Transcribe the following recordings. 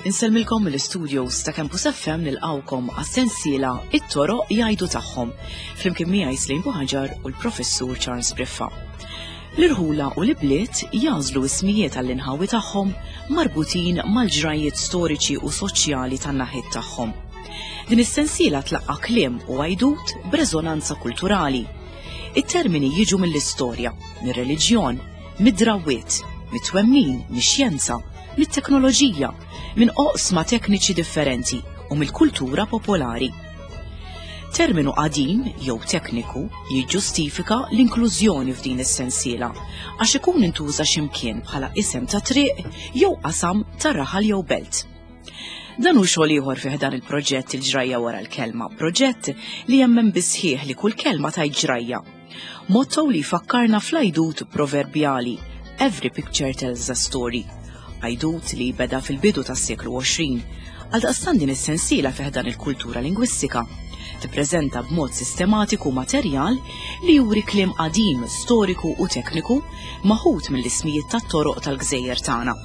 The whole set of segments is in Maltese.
Insellmilkom mill-istudios ta' Campus FM nilqawkom għas-sensiela It-toroq jgħidu tagħhom flimkien miegħi Slim Buħaġar u l-Professur Charles Briffa. L-irħula u l-ibliet jagħżlu ismijiet għall-inħawi tagħhom marbutin mal-ġrajjiet storiċi u soċjali tan-naħiet tagħhom. Din is-sensiela tlaqqa' kliem u għajdut b'reżonanza kulturali. It-termini jiġu mill-istorja, mir-reliġjon, mid-drawwiet, mit-twemmin, mix-xjenza, mit-teknoloġija, minn oqsma tekniċi differenti u mill-kultura popolari. Terminu qadim jew tekniku jiġġustifika l-inklużjoni f'din is-sensiela għax ikun intuża x'imkien bħala isem ta' triq jew qasam ta' raħal jew belt. Dan hu xogħol ieħor fih dan il-proġett il-ġrajja wara l-kelma, proġett li jemmen bisħieħ li kull kelma tajt ġrajja. Motto li jfakkarna fl-għajdut proverbjali Every picture tells a story. Għajdut li beda fil-bidu tas-seklu 20. Għaldaqstant din is-sensiela fih dan il-kultura lingwistika tippreżenta b'mod sistematiku materjal li juri kliem qadim, storiku u tekniku maħud mill-ismijiet tat-toroq tal-gżejjer tagħna.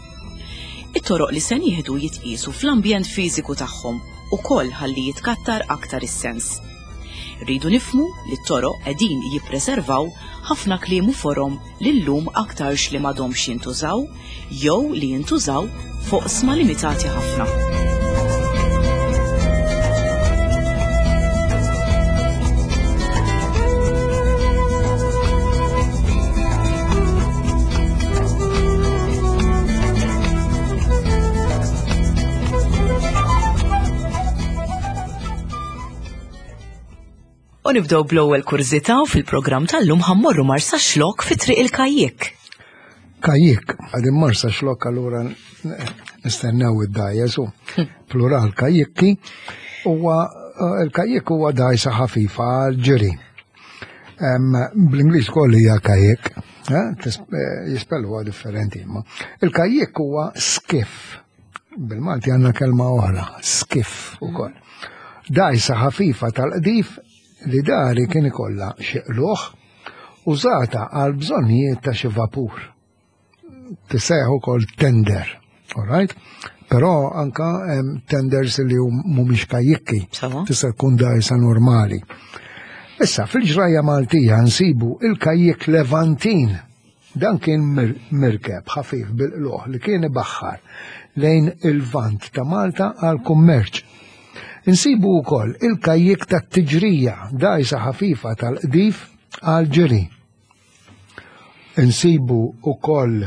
It-toroq li se nieħdu jitqiesu fl-ambjent fiżiku tagħhom ukoll ħalli jitkattar aktar is-sens. Irridu nifhmu li t-toroq qegħdin jippreservaw ħafna kliem u forom li llum aktarx li m'għadhomx jintużaw jew li jintużaw f'oqsma limitati ħafna. U nibdew bl-ewwel kurżità u fil-programm tal-lum ħammorru Marsaxlokk fi Triq il-Kajjik. Kajjik, għadin Marsaxlokk allura nistennew id-dajjes u plural kajjikki huwa eh, il-kajjik huwa dajsa ħafifa għal ġiri. Bl-Ingliż koll hija kajjik, eh, eh, jispellu differenti imma. Il-kajjik huwa skiff. Bil-Malti għandna kelma oħra, skiff ukoll. Dajsa ħafifa tal-qdif li dari kien ikollha xi qlugħ użata għal bżonnijiet ta' xi vapur. Tissejjaħ ukoll tender, all right? Però anka hemm tenders li mhumiex kajjikki, tista' tkun dajsa normali. Issa, fil-ġrajja Maltija nsibu il-kajjik Levantin Dan kien mirkeb ħafif bil-qlugħ li kien ibaħħar lejn il-Lvant ta' Malta għall-kummerċ. Insibu wkoll il-kajjik tat-tiġrija, dgħajsa ħafifa tal-qdif għall-ġiri. Insibu wkoll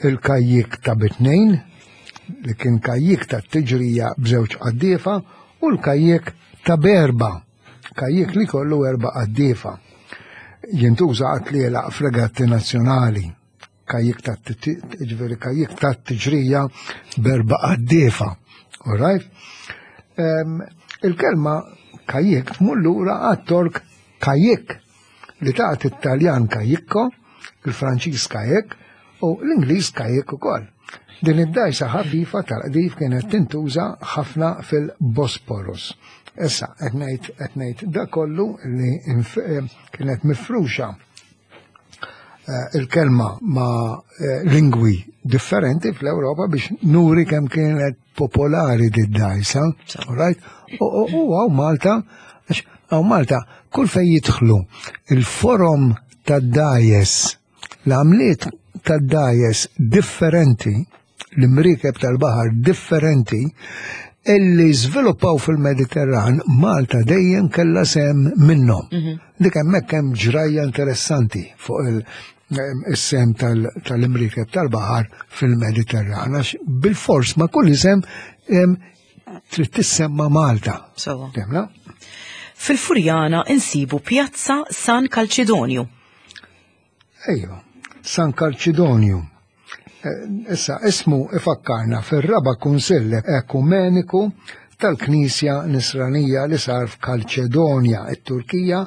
il-kajjik ta' bitnejn, li kien kajjik tat-tiġrija b'żewġ qaddiefa, u l-kajjik ta' b'erba' Kajjik li kollu erba' qaddiefa. Jintuża għat-tlielaq f'regatti nazzjonali. Kajjik ta' ġifieri kajjik ta' tiġrija b'erba' qaddiefa. All right? Il-kelma kajjik tmur lura għat-Tork kajjik li tagħti it-Taljan kajjikko, il-Franċiż kajjek u l-Ingliż kajjik ukoll. Din id-dgħajsa ħafifa tal-qdif kienet tintuża ħafna fil-Bosporus. Issa qed ngħid qed ngħid da kollu li eh, kienet mifruxa eh, il-kelma ma' eh, lingwi differenti fl-Ewropa biex nuri kemm kienet popolari di dajsa, right? U għaw Malta, għaw Malta, kull fej jidħlu il-forum tad-dajes, l-għamliet tad-dajes differenti, l-imriekeb tal-baħar differenti, illi żviluppaw fil-Mediterran, Malta dejjem kellha sem minnhom. Mhm. Dik hemmhekk hemm ġrajja interessanti fuq il-sem tal-imriekeb tal-baħar fil-Mediterran, għax bil-fors ma' kull isem trid tissemma Malta. Sawa. Fil-Furjana insibu Pjazza San Kalċidonju. Ejwa, San Kalċidonju. Eh, issa, ismu ifakkarna fir-raba kunsill ekumeniku tal-Knisja Nisranija li sar f'Kalċedonja, it-Turkija,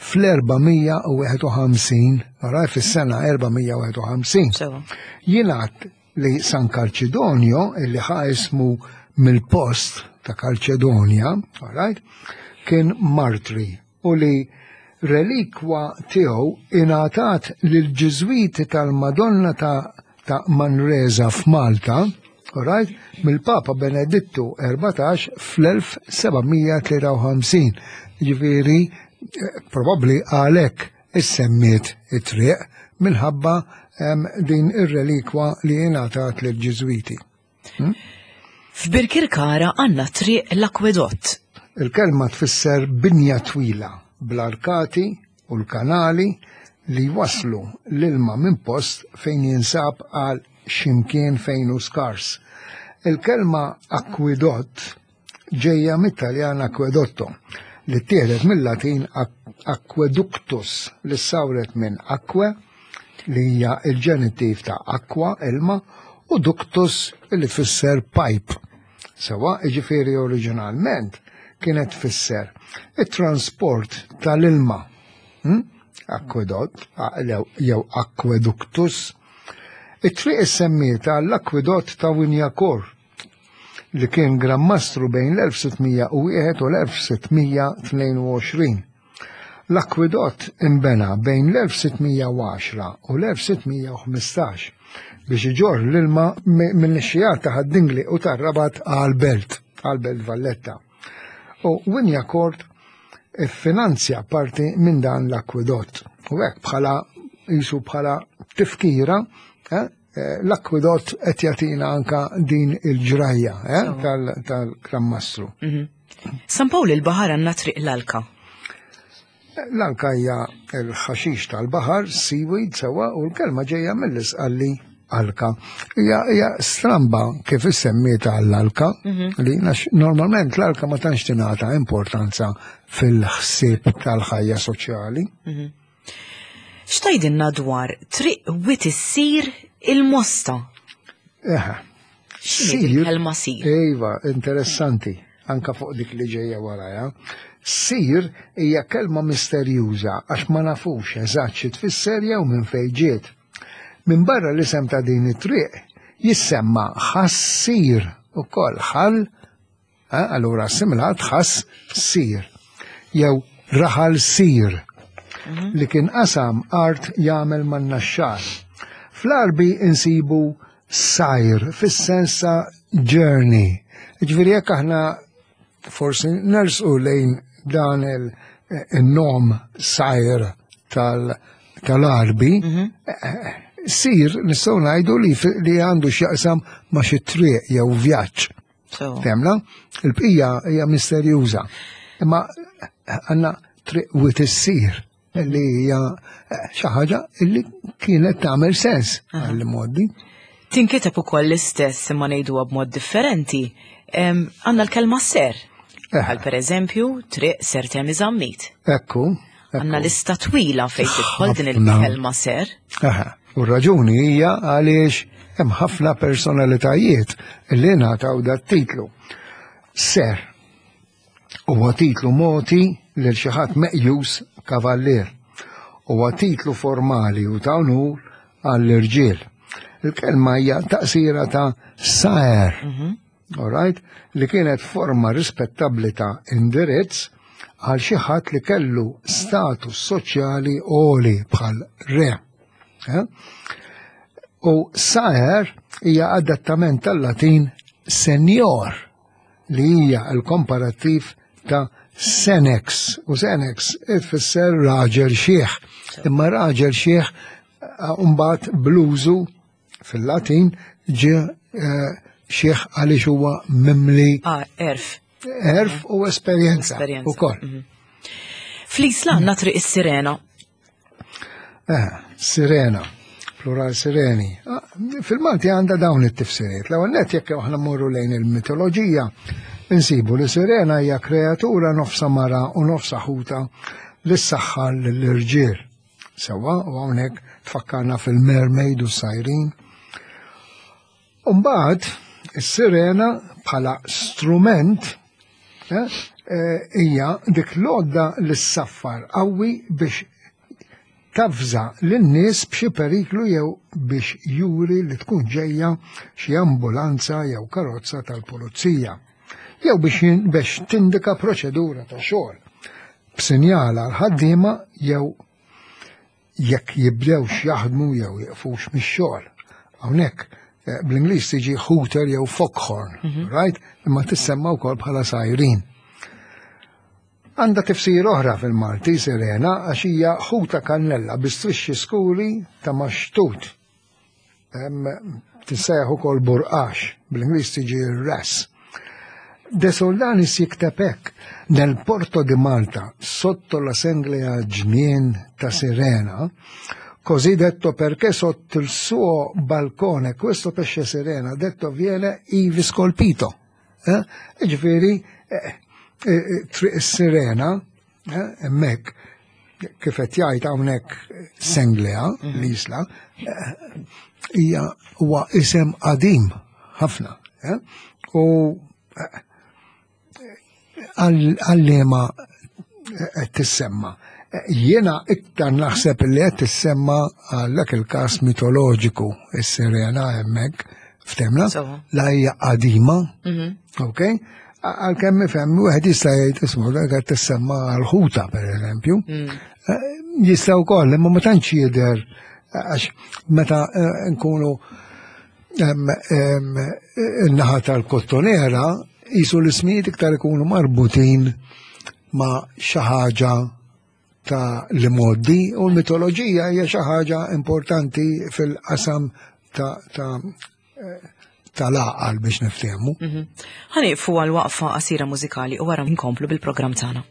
fl-451, raj fis-sena 451. Jingħad li San Kalċidonjo, illi ħa ismu mill-post ta' Kalċedonja, right, kien martri u li Relikwa tiegħu ingħatat lill-Ġiżwiti tal-Madonna ta' ta' Manresa f'Malta, right, mill-Papa Benedittu 14 fl-1753. Ġifieri, eh, probabbli għalhekk issemmiet it-triq minħabba din ir-relikwa li ingħatat lill-Ġiżwiti. Hmm? F'Birkirkara għandna triq l-akwedott. Il-kelma tfisser binja twila bl-arkati u l-kanali li jwasslu l-ilma minn post fejn jinsab għal ximkien fejn hu skars. Il-kelma akwidott ġejja mit-Taljan acquedotto li ttieħdet mil-Latin aqueductus li ssawret minn aquae li hija l-ġenittiv ta' aqua, ilma, u ductus li tfisser pipe. Sewa, jiġifieri oriġinalment kienet tfisser it-transport tal-ilma. Hmm? Aquedott jew aqueductus. It-triq issemmiet għall-akwidott ta' Wignacourt li kien Gran Mastru bejn l-1601 u l-1622. L-akwidott inbena bejn l-1610 u l-1615 biex iġorr l-ilma min-nixxigħat ta' Ħad-Dingli u tar-Rabat għall-Belt, għall-Belt Valletta. U Wignacourt iffinanzja parti minn dan l-akwidott. U hekk bħala jisu bħala tifkira eh, Eh, l-akwidott qed jagħtina anka din il-ġrajja eh, tal-Gran Mastru. Mhm. San Pawl il-Baħar għandna triq l-alka. L-alka hija l-ħaxix tal-baħar, seaweed sewa, u l-kelma ġejja mill-isqalli alka. Hija stramba kif issemmieta għall-alka, mhm. li normalment l-alka ma tantx tingħata importanza fil-ħsieb tal-ħajja soċjali. Mhm. X'tgħidilna dwar triq wit issir il-Mosta? Eħe. X'inhi il-kelma sir? Iva, interessanti, anka fuq dik li ġejja waraja. Sir hija kelma misterjuża għax ma nafux eżatt xi tfisser jew minn fejn ġiet. Minbarra l-isem ta' din it-triq jissemma ħassir ukoll ħal Eh, allura assimilat ħass sir jew raħal sir mhm. li kien qasam art jagħmel man-naxxar. Fl-Arbi insibu sajr fis-sens ta' journey. Ġifieri jekk aħna forsi nersqu lejn dan il-nom sajr tal-Arbi, mhm. eh, sir nistgħu ngħidu li għandu x'jaqsam ma' xi triq jew vjaġġ. Temna, il-bqija hija misterjuża. Imma għandna triq wit issir li hija eh, xi ħaġa li kienet tagħmel sens għall-modi. Tinkiteb ukoll l-istess imma ngħiduha b'mod differenti. Għandna l-kelma ser. Eh. Għal pereżempju, triq ser temi zammit. Ekku. Għandna lista twila fejn tidħol din il-kelma ser. Aha, u raġuni hija għaliex hemm ħafna personalitajiet li ngħataw dat titlu. Ser huwa titlu moti lil xi ħadd meqjus kavallier. Huwa titlu formali u ta' unur għall-irġiel. Il-kelma hija taqsira ta' saer. Mhm. Alright? Li kienet forma rispettabbli ta' indirizz għal xi ħadd li kellu status soċjali għoli bħal re. Eh? U saer hija adattament tal-Latin senior li hija l-komparattiv ta' senex. U senex ifisser raġel xieħ. Imma raġel xieħ eh, mbagħad bluzu Fil-Latin ġie eh, xieħ għaliex huwa mimli. Ah, erf. Erf u esperjenza. Ukoll. Mhm. Fl-Isla għandna triq is-Sirena. Eh, sirena, plural sireni. Ah, fil-Malti għandha dawn it-tifsiriet. L-ewwel net jekk aħna mmorru lejn il-mitoloġija, insibu li sirena hija kreatura nofsa mara u nofsa ħuta li ssaħħar lill-irġiel. Sewwa, u hawnhekk tfakkarna fil-mermaid u sajrin. Umbagħad is-sirena bħala strument eh, eh, hija dik l-għodda li ssaffar qawwi biex tafża lin-nies b'xi periklu jew biex juri li tkun ġejja xi ambulanza jew karozza tal-pulizija jew biex tindika proċedura ta' xogħol. b'sinjal għal ħaddiema jew jekk jibdewx jaħdmu jew jiqfux mix-xogħol. Hawnhekk eh, bl-Ingliż tiġi hooter jew foghorn, mhm. right? Imma tissemma wkoll bħala sajrin. Għandha tifsir oħra fil-Malti sirena għax hija ħuta kannella bi strixxi skuri ta' maxtut. Tissejjaħ ukoll burqax, bl-Ingliż tiġi ras. De Soldanis jikteb hekk, nel porto di Malta, sotto la senglea ġnien ta' Sirena, così detto perché sotto il suo balcone questo pesce sirena detto viene ivi scolpito. Eh? Ġifieri, eh, eh, triq is-sirena, hemmhekk kif qed jgħid hawnhekk Senglea, mhm. l-isla, hija huwa isem qadim ħafna. U għal-liema qed tissemma. Jiena iktar naħseb li qed tissemma għal dak il-każ mitoloġiku is-sirena hemmhekk ftemna la hija qadima, mhm. ok? Għalkemm ifhem wieħed jista' jgħid ismu dak qed tissemma għal ħuta pereżempju. Mm. Eh, jista' wkoll imma ma tantx jidher għax meta eh, nkunu in-naħa tal-kottonera jisu l-ismijiet iktar ikunu marbutin ma' xi ħaġa ta' li moddi u l-mitoloġija hija xi ħaġa importanti fil-qasam ta' ta' tal-għaqal biex niftehmu. Mhm. Ħaniqfu għal waqfa qasira mużikali u wara nkomplu bil-programm tagħna.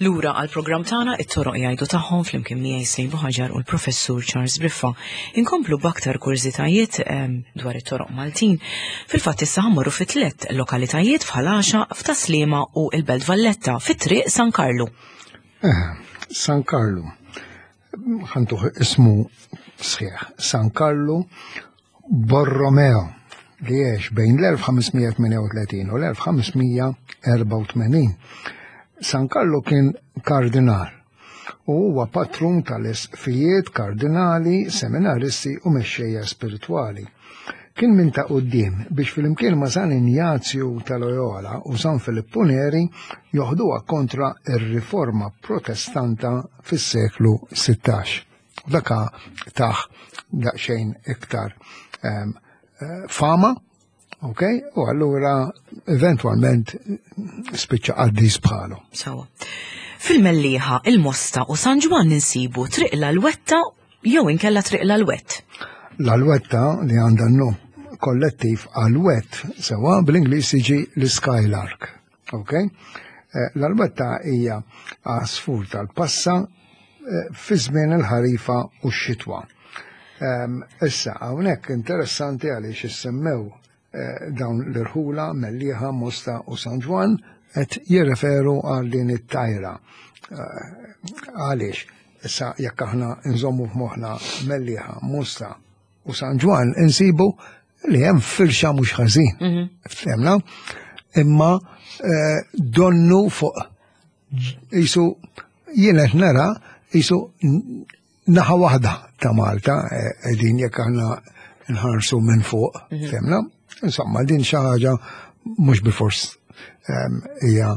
Lura għal programm tagħna it-toroq jgħidu tagħhom flimkien miegħi Sejn Buħaġar u l-Professur Charles Briffa. Inkomplu b'aktar kurżitajiet ehm, dwar it-toroq Maltin. Fil-fatt issa ħammorru fi tliet lokalitajiet f'Ħal Għaxaq, f'Taslima u l-Belt Valletta fit-triq San Karlu. Eh, San Karlu. Ħantuh ismu sħiħ. San Karlu Borromeo li għex bejn l-1538 u l-1584. San Karlu kien kardinal u huwa patrun tal-isqfijiet, kardinali, seminaristi u mexxejja spiritwali. Kien minn ta' quddiem biex flimkien ma' San Injazju ta' Loyola u San Filippu Neri joħduha kontra r-riforma Protestanta fis-seklu 16. Daka taħ daqsxejn iktar ehm, eh, fama, ok? U allura eventwalment spiċċa qaddis bħalu. Sawa. Fil-Mellieħa, il-Mosta u San Ġwann insibu Triq l-Alwetta jew inkella Triq l-Alwett. L-Alwetta li għandha n-nom kollettiv Alwett sewa bl-Ingliż jiġi l-Skylark. Ok? Eh, L-Alwetta hija għasfur tal-passa eh, fi żmien il-ħarifa u x-xitwa. Ehm, issa, hawnhekk interessanti għaliex issemmew eh, dawn l-irħula Mellieħa, Mosta u San Ġwann qed jirreferu għal din it-tajra. Eh, għaliex? Issa jekk aħna nżommu f'moħħna Mellieħa, Mosta u San Ġwann insibu li hemm firxa mhux ħażin. Mhm. Femna? Imma eh, donnu fuq jisu jien qed nara jisu naħa waħda ta' Malta qegħdin jekk aħna nħarsu minn fuq, mhm. femna. Insomma, din xi ħaġa mhux bifors ehm, hija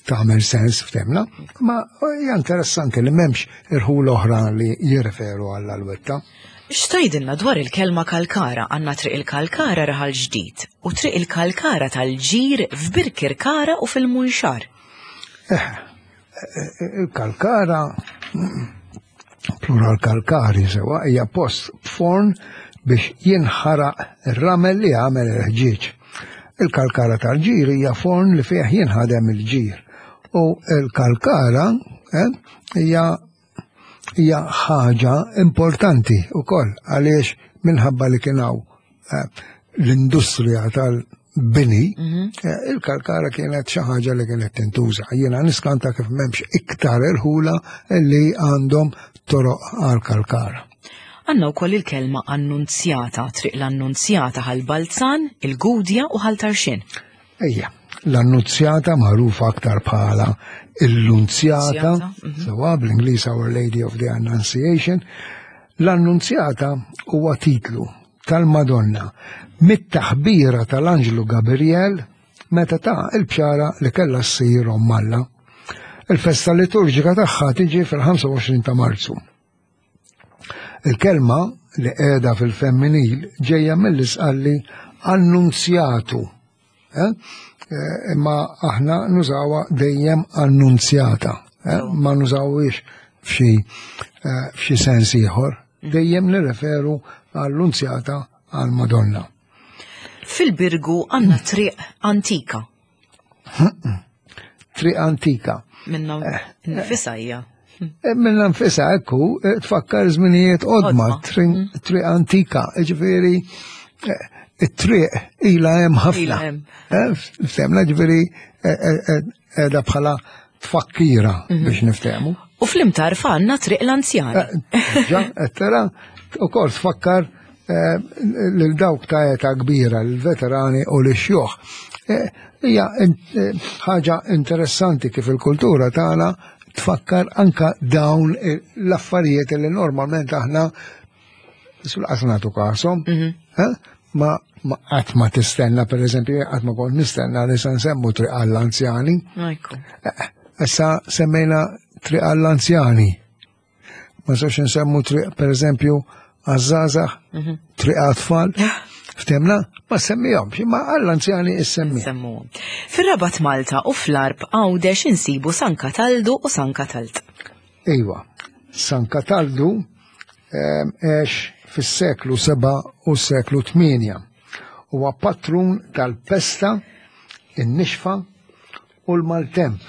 tagħmel sens ftemna, ma hija interessanti li m'hemmx irħul oħra li jirreferu għall alwetta. X'tgħidilna dwar il-kelma kalkara għandna triq il-kalkara raħal ġdid u triq il-kalkara tal-ġir f'Birkirkara u fil-Munxar. Eh, Il-kalkara, plural kalkari sewa, hija post b'forn biex jinħaraq ir-ramel li jagħmel il-ħġieġ. Il-kalkara tal-ġir hija forn li fih jinħadem il-ġir. U il-kalkara eh, hija hija ħaġa importanti wkoll għaliex minħabba li kien hawn eh, l-industrija tal-bini, mhm. eh, il-kalkara kienet xi ħaġa li kienet tintuża. Jiena niskanta kif m'hemmx iktar irħula li għandhom toroq għal-kalkara. Għanna wkoll il-kelma annunzjata, triq l-annunzjata ħal Balzan, il-Gudja u ħal Tarxin. Ejja, l-annunzjata magħrufa aktar bħala il-lunzjata, mhm. sewa bl-Ingliż Our Lady of the Annunciation, l-annunzjata huwa titlu tal-Madonna mit-taħbira tal-Anġlu Gabriel meta ta' il-bxara li kellha ssir omm Alla. Il-festa liturġika tagħha tiġi fil-25 ta' Marzu. Il-kelma li qiegħda fil-femminil ġejja mill-isqalli annunzjatu. Eh? Eh, imma aħna nużawha dejjem annunzjata, eh? ma nużawhiex f'xi f'xi sens ieħor. Dejjem nirreferu għall-lunzjata għall-Madonna. Fil-Birgu għandna triq antika. Triq antika. Minna eh, nfisa hija. Eh, minna nfisa ekku, eh, tfakkar żminijiet qodma, mm. triq antika, ġifieri it-triq ila hemm ħafna. Femna ġifieri edha bħala tfakkira mhm. biex niftehmu. U fl-imtar għandna triq l-anzjani. Ġa, tara, u kol tfakkar Eh, lil dawk ta' età kbira, l-veterani u l-xjuħ. Eh, hija eh, ħaġa interessanti kif il-kultura tagħna tfakkar anka dawn l-affarijiet li normalment aħna sul-qas nagħtu kasom, mhm. ma qatt ma tistenna, per eżempju, qatt ma kont nistenna li se nsemmu triq għall-anzjani. Issa semmejna triq għall-anzjani. Ma nistgħux insemmu triq pereżempju għaż-żgħażagħ, mhm. triq għat-tfal. Ftemna, ma semmihomx, imma għall-anzjani issemmi. Semmuhom. Fir-Rabat Malta u fl-Arb Għawdex insibu San Kataldu u San Katalt. Iva, San Kataldu ehm, għex fis-seklu 7 u s-seklu 8. Huwa patrun tal-pesta, in-nixfa u l-maltemp.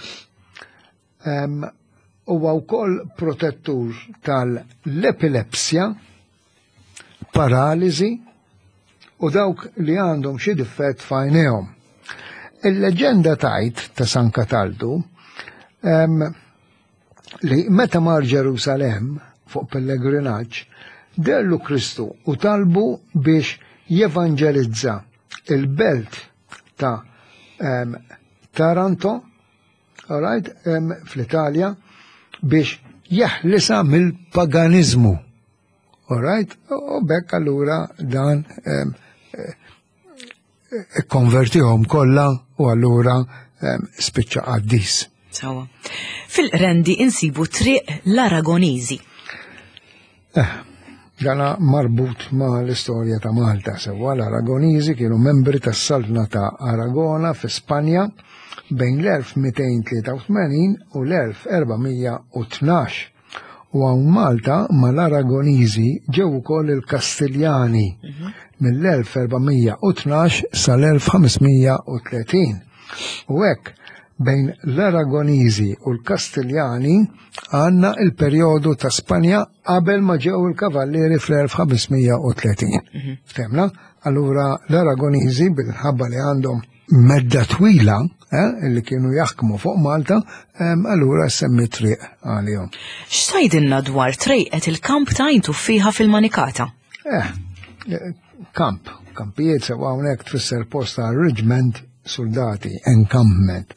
Huwa wkoll protettur tal-epilepsja, paraliżi u dawk li għandhom xi diffett f'għajnejhom. Il-leġenda tajt ta' San Kataldu li meta mar Ġerusalemm fuq pellegrinaġġ, dellu Kristu u talbu biex jevanġelizza il-belt ta' um, Taranto, all right, um, fl-Italja, biex jeħlisa mill-paganizmu. All right? U bekk allura dan um, ikkonvertihom kollha u allura spiċċa qaddis. Sawa. Fil-Qrendi insibu triq l-Aragoniżi. Eh, dana marbut ma l-istorja ta' Malta sewwa l-Aragoniżi kienu membri tas-Saltna ta' Aragona fi Spanja bejn l-1283 u l-1412. U hawn Malta mal-Aragoniżi ġew ukoll il-Kastiljani mhm. mill-1412 sal-1530. U hekk bejn l-Aragoniżi u l-Kastiljani għandna il-perjodu ta' Spanja qabel ma ġew il-Kavallieri fl-1530. Mhm. Ftemna? Allura l-Aragoniżi bil-ħabba li għandhom medda twila eh, li kienu jaħkmu fuq Malta, allura semmi triq għalihom. X'tajdilna dwar trejqet il-kamp ta' għajn tuffiħa fil-Manikata? Eh, eh, kamp, kampijiet sewa hawnhekk tfisser post ta' reġment soldati, encampment.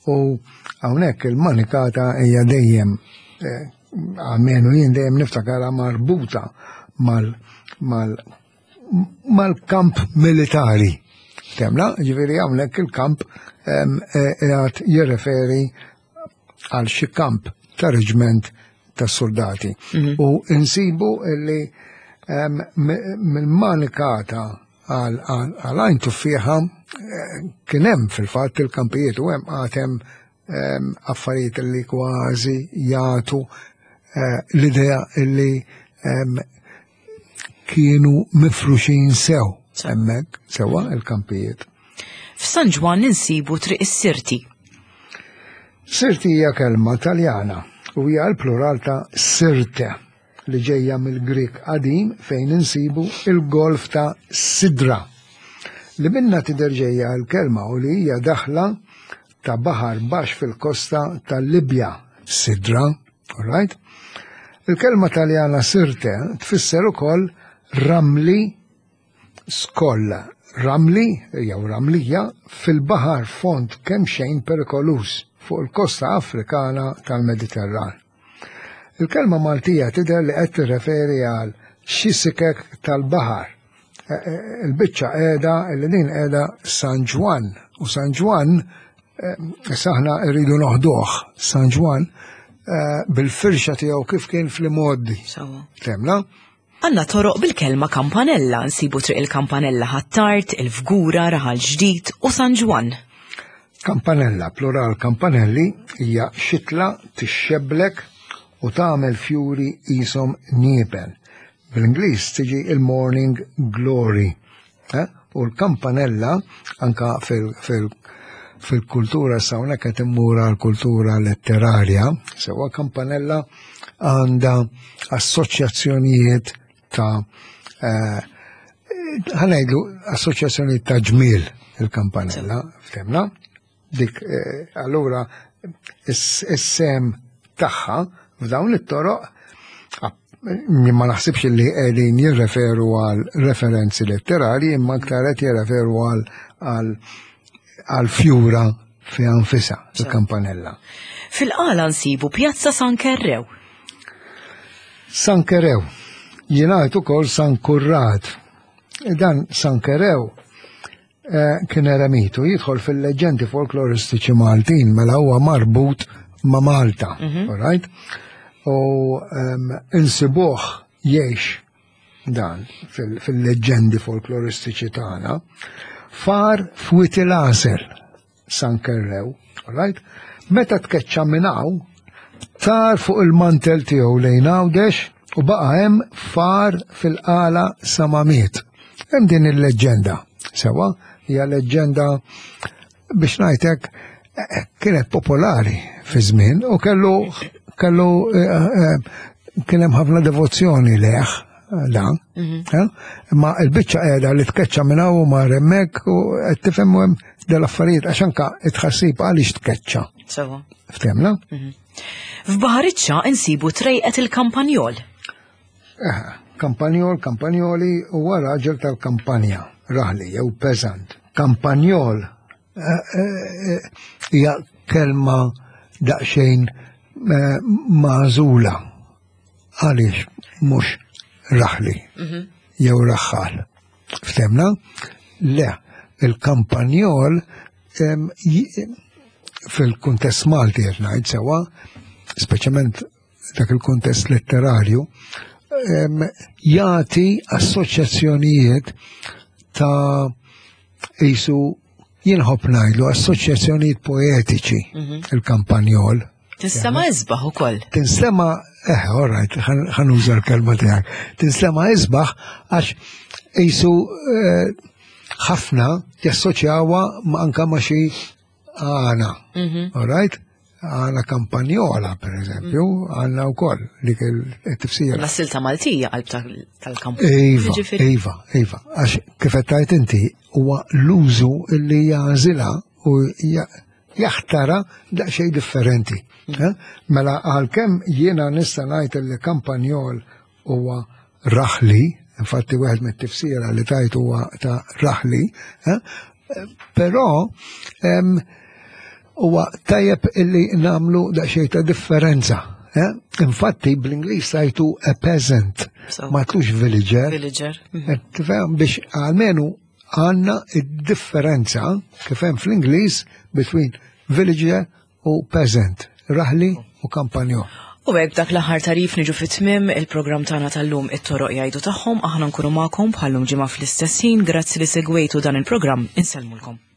U hawnhekk il-Manikata hija dejjem eh, għalmenu jien dejjem niftakarha marbuta mal mal mal-kamp militari. Temna, ġifiri hawnhekk il-kamp e, qiegħed jirreferi għal xi kamp ta' reġment ta' soldati. Mhm. U insibu illi mill-manikata għal għajn tuffieħa eh, kien hemm fil-fatt il-kampijiet u hemm għatem affarijiet li kważi jagħtu eh, l-idea illi kienu mifruxin sew hemmhekk sewwa il-kampijiet. F'San Ġwann insibu Triq is-Sirti. Sirti hija kelma Taljana u hija l-plural ta' sirte li ġejja mill-Grik qadim fejn insibu il-golf ta' Sidra li minna tidher ġejja l-kelma u li hija daħla ta' baħar baxx fil-kosta tal-Libja, Sidra, all right? Il-kelma Taljana sirte tfisser ukoll ramli skoll, ramli jew ramlija fil-baħar fond kemm xejn perikoluż fuq il-kosta Afrikana tal-Mediterran. Il-kelma Maltija tidher li qed tirreferi għal xi sikek tal-baħar. E, e, il-biċċa qiegħda li din qiegħda San Ġwann u San Ġwann e, saħna rridu noħduh San Ġwann bil-firxa tiegħu kif kien fl-imgħoddi. Temna? Għanna toroq bil-kelma kampanella, nsibu triq il-kampanella ħattart, il-fgura, raħal ġdid u San Ġwann. Kampanella, plural kampanelli, hija xitla tixxeblek u tagħmel fjuri qishom nieben. Bl-Ingliż tiġi il-morning glory. Eh? U l-kampanella anka fil-kultura sa hawnhekk qed immur għall-kultura letterarja, sewwa kampanella għandha assoċjazzjonijiet ta' eh, ħanajdu assoċjazzjonijiet ta' ġmiel il-kampanella, ftemna? Dik eh, allura is-sem tagħha f'dawn it-toroq ma naħsibx li qegħdin jirreferu għal referenzi letterali imma aktar qed jirreferu għal għal fjura fi anfisa il-kampanella. Fil-qala nsibu Pjazza San Kerrew. San Kerew, jingħad ukoll San Kurrad. Dan San Kerew Eh, kien eremitu jidħol fil-leġendi folkloristiċi Maltin mela huwa marbut ma' Malta, mm right? U um, insibuh jgħix dan fil-leġendi folkloristiċi tagħna far fwit il-għasel San Kerrew, right? Meta tkeċċa minn hawn, tar fuq il-mantel tiegħu lejn Għawdex u baqa' hemm far fil-qala sa ma miet. Hemm din il-leġġenda, sewa, hija leġġenda biex ngħidlek eh, kienet popolari fi żmien u kellu kellu eh, eh, kien hemm ħafna devozzjoni leh dan. Mhm. Eh? Imma il-biċċa qiegħda li tkeċċa minn hawn u mar hemmhekk u qed tifhem hemm dal-affarijiet għax anka it-tħassib għaliex tkeċċa. Sewa. Ftemna? Mhm. F'Baħariċċa insibu trejqet il-Kampanjol. Eh, kampanjol, kampanjoli huwa raġel tal-kampanja, raħli jew peasant. Kampanjol eh, eh, hija kelma daqsxejn magħżula għaliex mhux raħli mhm. jew raħħal. Ftemna? Le, il-kampanjol fil-kuntest Malti qed ngħid sewwa, speċjalment dak il-kuntest letterarju, jagħti assoċjazzjonijiet ta' jisu jinħobb ngħidlu assoċjazzjonijiet poetiċi mhm. il-kampanjol. Tinstema isbaħ ukoll. Tinstema, eh, all right, ħanuża l-kelma tiegħek. Tinstema isbaħ għax jisu eh, ħafna jassoċjawha anka ma' xi għana. Mhm. All right? Għana kampanjola, per eżempju, mm. għanna u koll dik il-tifsira. La silta Maltija qalb tal-kamp. Iva, iva, iva. Għax kif tajt inti huwa l-użu li jażilha u jaħtara daqsxejn differenti. Mm. Eh? Mela għalkemm jiena nista' ngħid li kampanjol huwa raħli, infatti wieħed mit-tifsira li tajt huwa ta' raħli, eh? però huwa tajjeb illi namlu daqsxejn ta' differenza. Eh? Infatti bl-Ingliż tajtu a peasant, ma tlux villager. Villager. Mhm. Eh, tifhem biex għalmenu għandna id-differenza kif hemm fl-Ingliż between villager u peasant, raħli u kampanjo. U hekk dak l-aħħar tarif niġu fit-tmiem il-programm tagħna tal-lum it-toroq jgħidu tagħhom aħna nkunu magħkom bħallum ġimgħa fl-istess ħin grazzi li segwejtu dan il-programm insellmulkom.